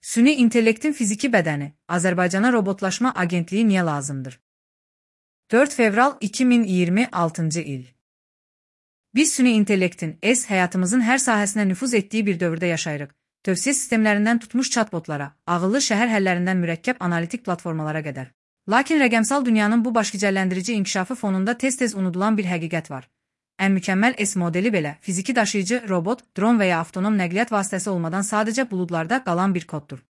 Süni intellektin fiziki bədəni, Azərbaycana robotlaşma agentliyi niyə lazımdır? 4 fevral 2026 il. Biz süni intellektin həyatımızın hər sahəsinə nüfuz etdiyi bir dövrdə yaşayırıq. Tövsiyə sistemlərindən tutmuş chatbotlara, ağıllı şəhər həllərindən mürəkkəb analitik platformalara qədər. Lakin rəqəmsal dünyanın bu başgicəlləndirici inkişafı fonunda tez-tez unudulan bir həqiqət var. Ən mükəmməl modeli belə fiziki daşıyıcı robot, dron və ya avtonom nəqliyyat vasitəsi olmadan sadəcə buludlarda qalan bir koddur.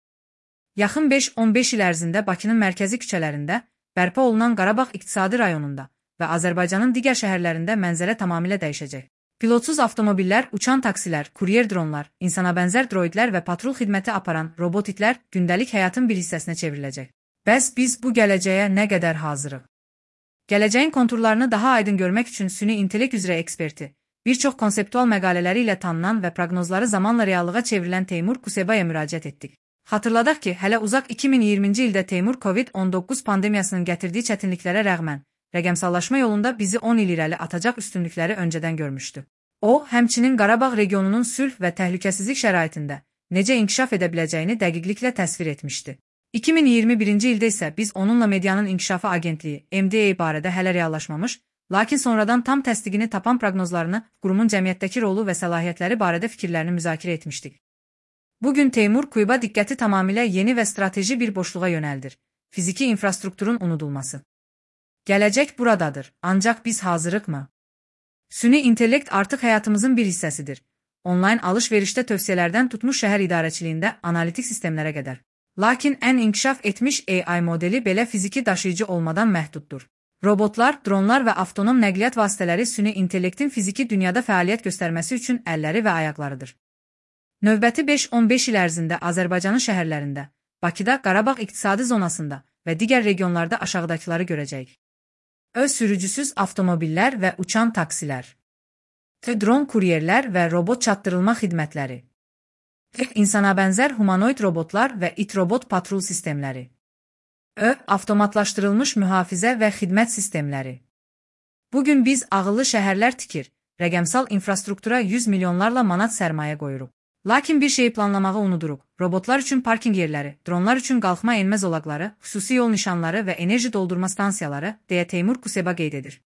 Yaxın 5-15 il ərzində Bakının mərkəzi küçələrində, bərpa olunan Qarabağ iqtisadi rayonunda və Azərbaycanın digər şəhərlərində mənzərə tamamilə dəyişəcək. Pilotsuz avtomobillər, uçan taksilər, kuryer dronlar, insana bənzər droidlər və patrul xidməti aparan robot itlər gündəlik həyatın bir hissəsinə çevriləcək. Bəs biz bu gələcəyə nə qədər hazırıq? Gələcəyin konturlarını daha aydın görmək üçün süni intellekt üzrə eksperti, bir çox konseptual məqalələri ilə tanınan və proqnozları zamanla reallığa çevrilən Teymur Kusebaya müraciət etdik. Xatırladaq ki, hələ uzaq 2020-ci ildə Teymur COVID-19 pandemiyasının gətirdiyi çətinliklərə rəğmən, rəqəmsallaşma yolunda bizi 10 il irəli atacaq üstünlükləri öncədən görmüşdü. O, həmçinin Qarabağ regionunun sülh və təhlükəsizlik şəraitində necə inkişaf edə biləcəyini dəqiqliklə təsvir etmişdi. 2021-ci ildə isə biz onunla Medianın İnkişafı Agentliyi (MDA) barədə hələ reallaşmamış, lakin sonradan tam təsdiqini tapan proqnozlarını, qurumun cəmiyyətdəki rolu və səlahiyyətləri barədə fikirlərini müzakirə etmişdik. Bugün Teymur Kuseba diqqəti tamamilə yeni və strateji bir boşluğa yönəldir. Fiziki infrastrukturun unudulması. Gələcək buradadır, ancaq biz hazırıqmı? Süni intellekt artıq həyatımızın bir hissəsidir. Onlayn alış-verişdə tövsiyələrdən tutmuş şəhər idarəçiliyində analitik sistemlərə qədər. Lakin ən inkişaf etmiş AI modeli belə fiziki daşıyıcı olmadan məhduddur. Robotlar, dronlar və avtonom nəqliyyat vasitələri süni intellektin fiziki dünyada fəaliyyət göstərməsi üçün əlləri və ayaqlarıdır. Növbəti 5-15 il ərzində Azərbaycanın şəhərlərində, Bakıda, Qarabağ iqtisadi zonasında və digər regionlarda aşağıdakıları görəcəyik. Öz sürücüsüz avtomobillər və uçan taksilər. Dron kuryerlər və robot çatdırılma xidmətləri. İnsana bənzər humanoid robotlar və it-robot patrul sistemləri. Avtomatlaşdırılmış mühafizə və xidmət sistemləri. Bugün biz ağıllı şəhərlər tikir, rəqəmsal infrastruktura 100 milyonlarla manat sərmayə qoyuruq. Lakin bir şeyi planlamağı unuduruq. Robotlar üçün parking yerləri, dronlar üçün qalxma enmə zolaqları, xüsusi yol nişanları və enerji doldurma stansiyaları, deyə Teymur Kuseba qeyd edir.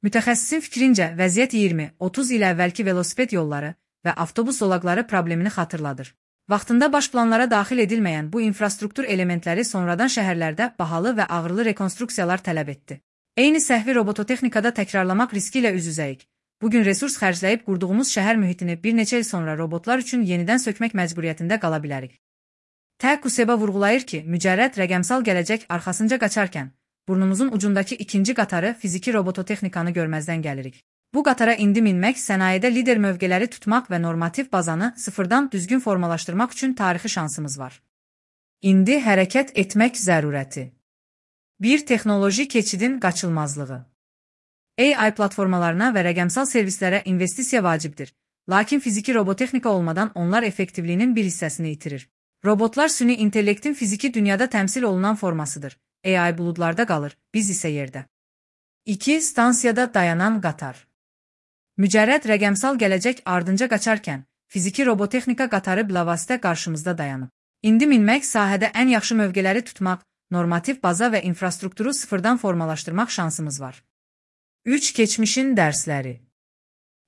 Mütəxəssisin fikrincə, vəziyyət 20-30 il əvvəlki velosiped yolları və avtobus zolaqları problemini xatırladır. Vaxtında baş planlara daxil edilməyən bu infrastruktur elementləri sonradan şəhərlərdə bahalı və ağırlı rekonstruksiyalar tələb etdi. Eyni səhvi robototexnikada təkrarlamaq riski ilə üz-üzəyik. Bugün resurs xərcləyib qurduğumuz şəhər mühitini bir neçə il sonra robotlar üçün yenidən sökmək məcburiyyətində qala bilərik. Kuseba vurğulayır ki, mücərrəd rəqəmsal gələcək arxasınca qaçarkən, burnumuzun ucundakı ikinci qatarı fiziki robototexnikanı görməzdən gəlirik. Bu qatara indi minmək, sənayedə lider mövqeləri tutmaq və normativ bazanı sıfırdan düzgün formalaşdırmaq üçün tarixi şansımız var. İndi hərəkət etmək zərurəti. Bir texnoloji keçidin qaçılmazlığı. AI platformalarına və rəqəmsal servislərə investisiya vacibdir, lakin fiziki robotexnika olmadan onlar effektivliyinin bir hissəsini itirir. Robotlar süni intellektin fiziki dünyada təmsil olunan formasıdır. AI buludlarda qalır, biz isə yerdə. 2. Stansiyada dayanan qatar. Mücərrəd rəqəmsal gələcək ardınca qaçarkən, fiziki robotexnika qatarı bilavasitə qarşımızda dayanıb. İndi minmək, sahədə ən yaxşı mövqeləri tutmaq, normativ baza və infrastrukturu sıfırdan formalaşdırmaq şansımız var. 3. Keçmişin dərsləri.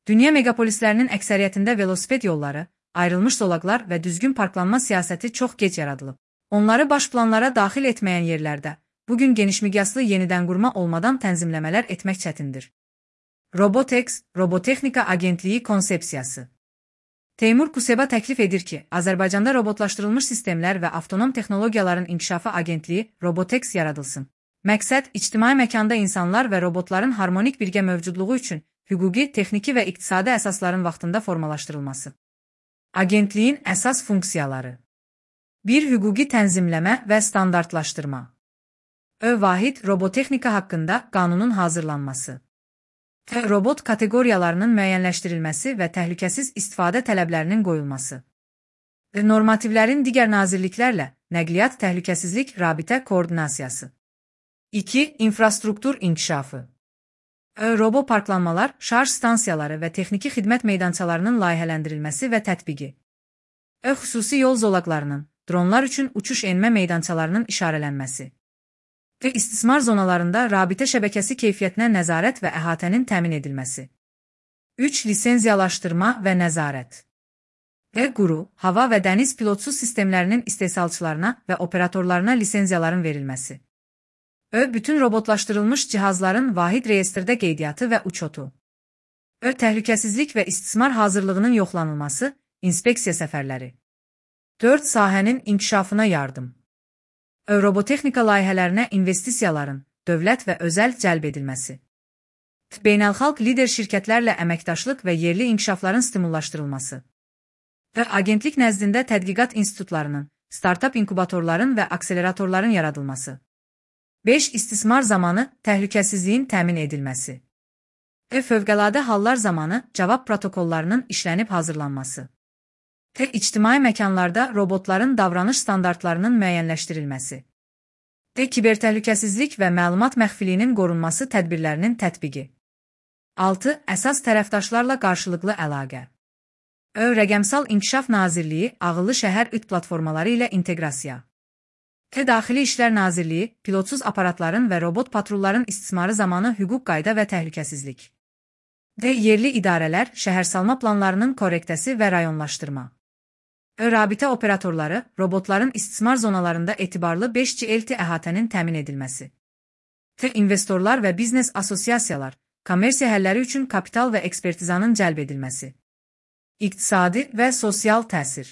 Dünya megapolislərinin əksəriyyətində velosiped yolları, ayrılmış zolaqlar və düzgün parklanma siyasəti çox gec yaradılıb. Onları baş planlara daxil etməyən yerlərdə, bugün genişmiqyaslı yenidən qurma olmadan tənzimləmələr etmək çətindir. Robotex, Robotexnika Agentliyi konsepsiyası. Teymur Kuseba təklif edir ki, Azərbaycanda robotlaşdırılmış sistemlər və avtonom texnologiyaların inkişafı agentliyi Robotex yaradılsın. Məqsəd, ictimai məkanda insanlar və robotların harmonik birgə mövcudluğu üçün hüquqi, texniki və iqtisadi əsasların vaxtında formalaşdırılması. Agentliyin əsas funksiyaları. 1. Hüquqi tənzimləmə və standartlaşdırma. Vahid robotexnika haqqında qanunun hazırlanması. Robot kateqoriyalarının müəyyənləşdirilməsi və təhlükəsiz istifadə tələblərinin qoyulması. Normativlərin digər nazirliklərlə nəqliyyat təhlükəsizlik rabitə koordinasiyası. 2. İnfrastruktur inkişafı. Robo parklanmalar, şarj stansiyaları və texniki xidmət meydançalarının layihələndirilməsi və tətbiqi. Xüsusi yol zolaqlarının, dronlar üçün uçuş-enmə meydançalarının işarələnməsi və istismar zonalarında rabitə şəbəkəsi keyfiyyətinə nəzarət və əhatənin təmin edilməsi. 3. Lisenziyalaşdırma və nəzarət və quru, hava və dəniz pilotsuz sistemlərinin istehsalçılarına və operatorlarına lisenziyaların verilməsi. Bütün robotlaşdırılmış cihazların vahid reyestrdə qeydiyyatı və uçotu. Təhlükəsizlik və istismar hazırlığının yoxlanılması, inspeksiya səfərləri. 4. Sahənin inkişafına yardım. Robotexnika layihələrinə investisiyaların, dövlət və özəl cəlb edilməsi. Beynəlxalq lider şirkətlərlə əməkdaşlıq və yerli inkişafların stimullaşdırılması. Və agentlik nəzdində tədqiqat institutlarının, startap inkubatorların və akseleratorların yaradılması. 5. İstismar zamanı təhlükəsizliyin təmin edilməsi. Fövqəladə hallar zamanı cavab protokollarının işlənib hazırlanması. İctimai məkanlarda robotların davranış standartlarının müəyyənləşdirilməsi. Kibertəhlükəsizlik və məlumat məxfiliyinin qorunması tədbirlərinin tətbiqi. 6. Əsas tərəfdaşlarla qarşılıqlı əlaqə. Rəqəmsal İnkişaf Nazirliyi ağıllı şəhər üt platformaları ilə inteqrasiya. Daxili İşlər Nazirliyi pilotsuz aparatların və robot patrulların istismarı zamanı hüquq qayda və təhlükəsizlik. Yerli idarələr şəhərsalma planlarının korrektəsi və rayonlaşdırma. Rabitə operatorları robotların istismar zonalarında etibarlı 5G LTE əhatənin təmin edilməsi. İnvestorlar və biznes asosiasiyalar, kommersiya həlləri üçün kapital və ekspertizanın cəlb edilməsi. İqtisadi və sosial təsir.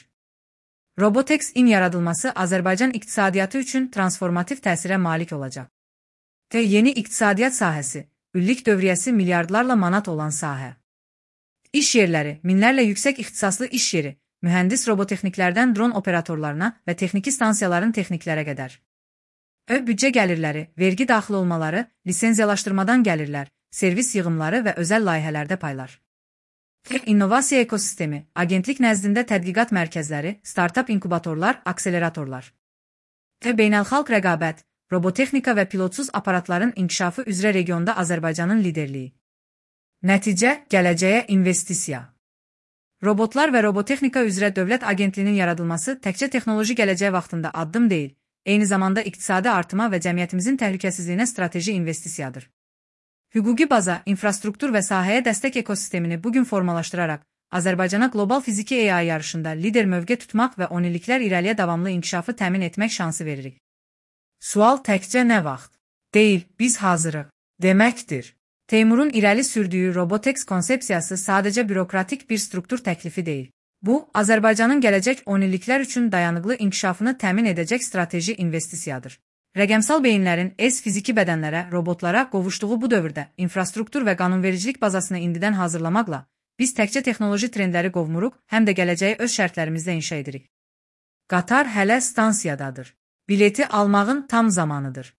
Robotex-in yaradılması Azərbaycan iqtisadiyyatı üçün transformativ təsirə malik olacaq. Yeni iqtisadiyyat sahəsi, illik dövriyyəsi milyardlarla manat olan sahə. İş yerləri, minlərlə yüksək ixtisaslı iş yeri, mühəndis robotexniklərdən dron operatorlarına və texniki stansiyaların texniklərə qədər. Büdcə gəlirləri, vergi daxil olmaları, lisenziyalaşdırmadan gəlirlər, servis yığımları və özəl layihələrdə paylar. İnnovasiya ekosistemi, agentlik nəzdində tədqiqat mərkəzləri, startap inkubatorlar, akseleratorlar. Beynəlxalq rəqabət, robotexnika və pilotsuz aparatların inkişafı üzrə regionda Azərbaycanın liderliyi. Nəticə, gələcəyə investisiya. Robotlar və robotexnika üzrə dövlət agentliyinin yaradılması təkcə texnoloji gələcək vaxtında addım deyil, eyni zamanda iqtisadi artıma və cəmiyyətimizin təhlükəsizliyinə strateji investisiyadır. Hüquqi baza, infrastruktur və sahəyə dəstək ekosistemini bugün formalaşdıraraq, Azərbaycana qlobal fiziki AI yarışında lider mövqe tutmaq və 10 illiklər irəliyə davamlı inkişafı təmin etmək şansı veririk. Sual təkcə nə vaxt? Deyil, biz hazırıq, deməkdir. Teymurun irəli sürdüyü Robotex konsepsiyası sadəcə bürokratik bir struktur təklifi deyil. Bu, Azərbaycanın gələcək 10 illiklər üçün dayanıqlı inkişafını təmin edəcək strateji investisiyadır. Rəqəmsal beyinlərin fiziki bədənlərə, robotlara qovuşduğu bu dövrdə infrastruktur və qanunvericilik bazasını indidən hazırlamaqla, biz təkcə texnoloji trendləri qovmuruq, həm də gələcəyi öz şərtlərimizdə inşa edirik. Qatar hələ stansiyadadır. Bileti almağın tam zamanıdır.